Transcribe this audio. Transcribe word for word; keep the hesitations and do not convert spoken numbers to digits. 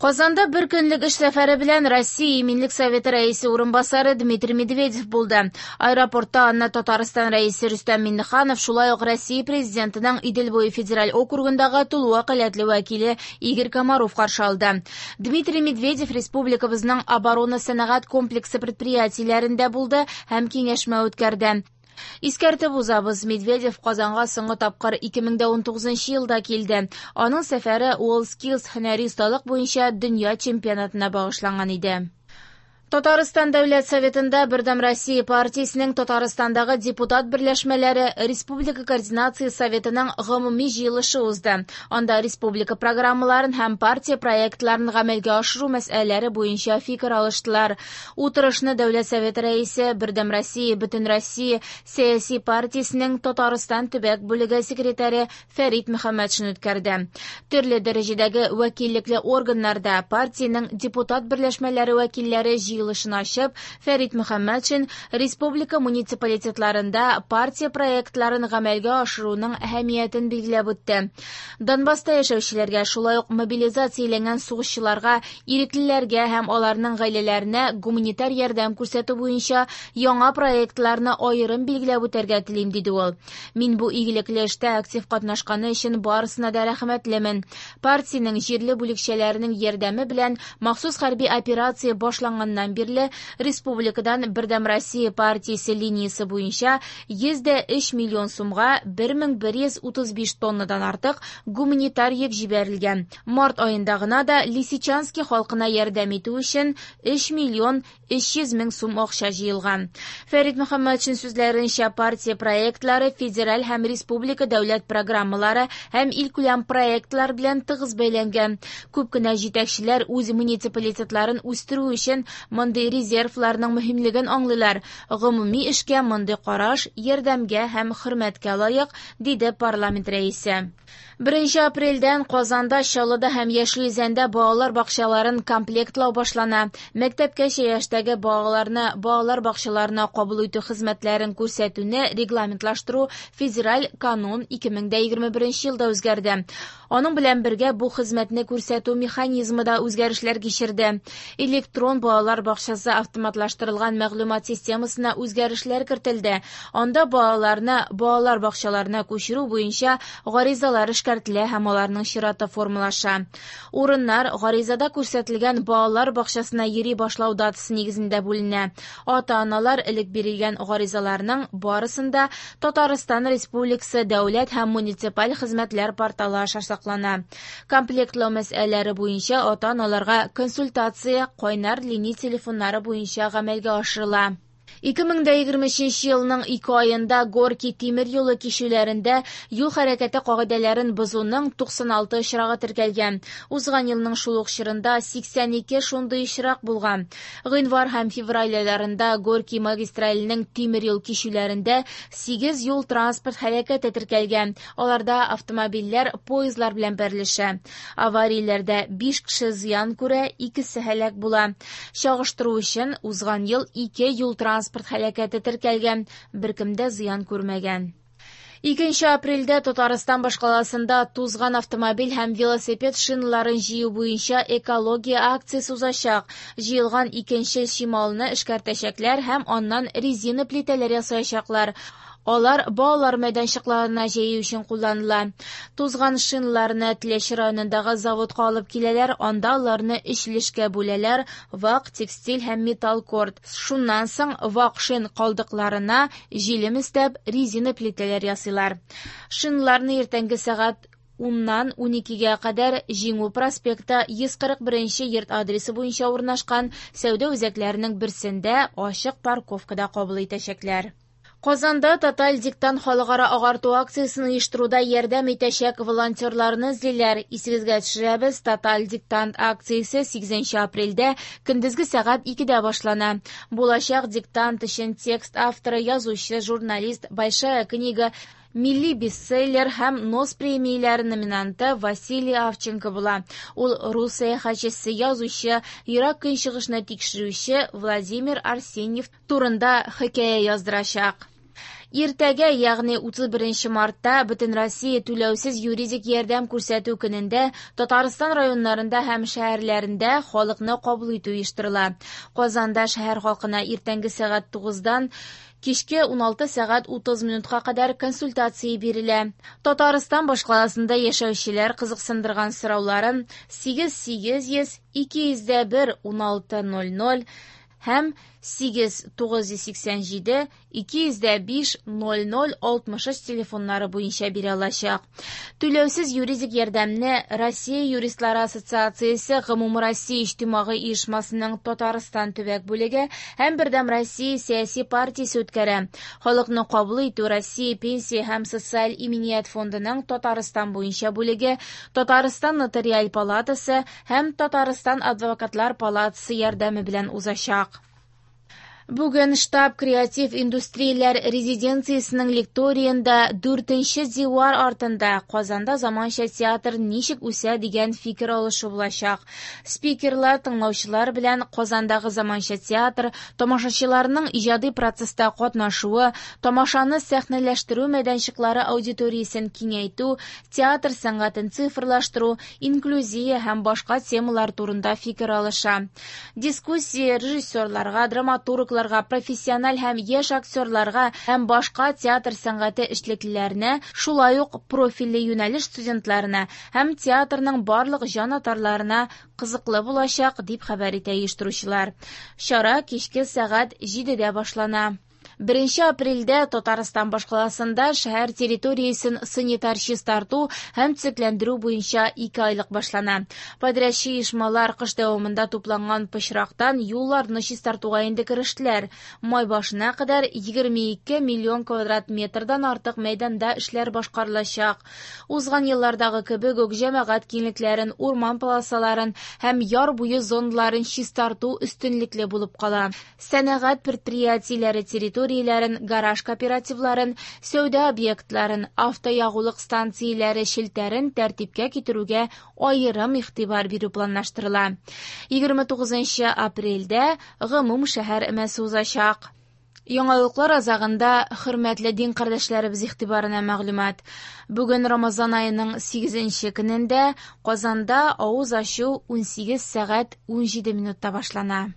Казанда бер көнлек эш сәфәре белән Россия Иминлек Советы рәисе урынбасары Дмитрий Медведев булды. Аэропортта аны Татарстан рәисе Рөстәм Миңнеханов, шулай ук Россия президентының Идел буе федераль округындагы тулы вәкаләтле вәкиле Игорь Комаров каршы алды. Дмитрий Медведев республикабызның оборона-сәнәгать комплексы предприятиеләрендә булды һәм киңәшмә үткәрде. Искәртеп узабыз, Медведев Казанга соңгы тапкыр ике мең дә унтугызынчы елда килде. Аның сәфәре WorldSkills һөнәри осталык буенча дөнья чемпионатына багышланган иде. Татарстан Дәүләт Советында Бердәм Россия партиясенең Татарстандагы депутат берләшмәләре Республика Координация Советының гомуми җыелышы узды. Анда республика программаларын һәм партия проектларын гамәлгә ашыру мәсьәләләре буенча фикер алыштылар. Утырышны Дәүләт Советы рәисе Бердәм Россия Бөтенроссия сәяси партиясенең Татарстан төбәк бүлеге секретаре Фәрит Мөхәммәтшин үткәрде. Төрле дәрәҗәдәге вәкиллекле органнарда партиянең депутат берләшмәләре вәкилләре җыелышын ачып, Фәрит Мөхәммәтшин республика муниципалитетларында партия проектларын гамәлгә ашыруның әһәмиятен билгеләп үтте. Донбасста яшәүчеләргә, шулай ук мобилизацияләнгән сугышчыларга, иреклеләргә һәм аларның гаиләләренә гуманитар ярдәм күрсәтү буенча яңа проектларны аерым билгеләп үтәргә телим, диде ул. Мин бу игелекле эштә актив катнашканы өчен барысына да рәхмәтлемен. Партиянең җирле бүлекчәләренең ярдәме белән махсус хәрби операция башланганнан бирле республикадан Бердәм Россия партиясе линиясе буенча йөз дә өч миллион сумга бер мең бер йөз утыз биш тоннадан артык гуманитар йөк җибәрелгән. Март аенда гына да Лисичанский халкына ярдәм итү өчен өч миллион өч йөз мең сум акча җыелган. Фәрит Мөхәммәтшин сүзләренчә, партия проектлары федераль һәм республика дәүләт программалары һәм илкүләм проектлар белән тыгыз бәйләнгән. Күп кенә җитәкчеләр үз муниципалитетларын үстерү өчен мондый резервларның мөһимлеген аңлыйлар. Гомуми эшкә мондый караш ярдәмгә һәм хөрмәткә лаек, диде парламент рәисе. Беренче апрельдән Казанда, Чаллыда һәм Яшел Үзәндә балалар бакчаларын комплектлау башлана. Мәктәпкәчә яшьтәге балаларны балалар бакчаларына кабул итү хезмәтләрен күрсәтүне регламентлаштыру федераль канун ике мең дә егерме беренче елда үзгәрде. Аның белән бергә бу хезмәтне күрсәтү механизмы да үзгәрешләр кичерде. Электрон балалар бакчасы автоматлаштырылган мәгълүмат системасына үзгәрешләр кертелде. Анда балаларны балалар бакчаларына күчерү буенча гаризалар эшкәртелә һәм аларның чираты формалаша. Урыннар гаризада күрсәтелгән балалар бакчасына йөри башлау датасы нигезендә бүленә. Ата-аналар элек бирелгән гаризаларның барысын да Татарстан Республикасы дәүләт һәм муниципаль хезмәтләр порталы аша саклана. Комплектлау мәсьәләләре буенча ата-аналарга консультация кайнар линия телефоннары буенча гамәлгә ашырыла. Ике мең дә егерме өченче елның ике аенда Горки тимер юлы кичүләрендә юл хәрәкәте кагыйдәләрен бозуның туксан алты очрагы теркәлгән. Узган елның шул ук чорында сиксән ике шундый очрак булган. Гыйнвар һәм февраль айларында Горки магистраленең тимер юл кичүләрендә сигез юл транспорт һәлакәте теркәлгән. Аларда автомобильләр поездлар белән бәрелешә. Аварияләрдә биш кеше зыян күрә, икесе һәлак була. Чагыштыру өчен узган ел ике юл транспорт һәлакәте теркәлгән, беркем дә зыян күрмәгән. Икенче апрельдә Татарстан башкаласында тузган автомобиль һәм велосипед шиналарын җыю буенча экология акциясе узачак. Җыелган икенче чималны эшкәртәчәкләр һәм аннан резина плитәләр ясаячаклар. Алар балалар мәйданчыкларына җәю өчен кулланыла. Тузган шиналарны Теләче районындагы заводка алып киләләр, анда аларны өч өлешкә бүләләр: вак, текстиль һәм металл корт. Шуннан соң вак шин калдыкларына җилем өстәп резина плитәләр ясыйлар. Шиналарны иртәнге сәгать уннан уникегә кадәр Җиңү проспекты йөз кырык беренче йорт адресы буенча урнашкан сәүдә үзәкләренең берсендә ачык парковкада кабул итәчәкләр. Казанда Тоталь диктант халыкара агарту акциясен оештыруда ярдәм итәчәк волонтерларны эзлиләр. Исегезгә төшерәбез, Тоталь диктант акциясе сигезенче апрельдә көндезге сәгать икедә башлана. Булачак диктант өчен текст авторы, язучы, журналист, Большая книга, милли бестселлер һәм Нос премияләре номинанты Василий Авченко була. Ул рус сәяхәтчесе, язучы, Ерак Көнчыгышны тикшерүче Владимир Арсеньев турында хикәя яздырачак. Иртәгә, ягъни утыз беренче мартта, Бөтенроссия түләүсез юридик ярдәм күрсәтү көнендә Татарстан районнарында һәм шәһәрләрендә халыкны кабул итү оештырыла. Казанда шәһәр халкына иртәнге сәгать тугыздан кичке уналты сәгать утыз минутка кадәр консультация бирелә. Татарстан башкаласында яшәүчеләр кызыксындырган сорауларын сигез сигез йөз ике йөз дә бер уналты ноль ноль һәм сигез тугыз йөз сиксән җиде ике йөз дә биш ноль ноль алтмыш өч телефоннары буенча бирә алачак. Түләүсез юридик ярдәмне Россия юристлары ассоциациясе Гомумроссия иҗтимагый оешмасының Татарстан төбәк бүлеге һәм Бердәм Россия сәяси партиясе үткәрә. Халыкны кабул итү Россия пенсия һәм социаль иминият фондының Татарстан буенча бүлеге, Татарстан нотариаль палатасы һәм Татарстан адвокатлар палатасы ярдәме белән узачак. Бүген штаб креатив индустрияләр резиденциясенең лекториенда дүртенче дивар артында Казанда заманча театр ничек үсә дигән фикер алышу булачак. Спикерлар тыңлаучылар белән Казандагы заманча театр, тамашачыларның иҗади процесста катнашуы, тамашаны сәхнәләштерү мәйданчыклары аудиториясен киңәйтү, театр сәнгатен цифрлаштыру, инклюзия һәм башка темалар турында фикер алыша. Дискуссия режиссерларга, драматургларга, профессиональ һәм яшь актерларга һәм башка театр сәнгате эшлеклеләренә, шулай ук профильле юнәлеш студентларына һәм театрның барлык җанатарларына кызыклы булачак, дип хәбәр итә оештыручылар. Чара кичке сәгать җидедә башлана. Беренче апрельдә Татарстан башкаласында шәһәр территориясен санитар чистарту һәм төзекләндерү буенча ике айлык башлана. Подрядчы оешмалар кыш дәвамында тупланган пычрактан юлларны чистартуга инде керештеләр. Май башына кадәр егерме ике миллион квадрат метрдан артык мәйданда эшләр башкарылачак. Узган еллардагы кебек үк җәмәгать киңлекләрен, урман полосаларын һәм яр буе зоналарын чистарту өстенлекле булып кала. Сәнәгать предприятиеләре территориясен, гараж кооперативларын, сәүдә объектларын, автоягулык станцияләре челтәрен тәртипкә китерүгә аерым игътибар бирү планлаштырыла. Егерме тугызынчы апрельдә гомум шәһәр өмәсе узачак. Яңалыклар азагында хөрмәтле дин кардәшләребез игътибарына мәгълүмат. Бүген Рамазан аеның сигезенче көнендә Казанда авыз ачу унсигез сәгать унҗиде минутта башлана.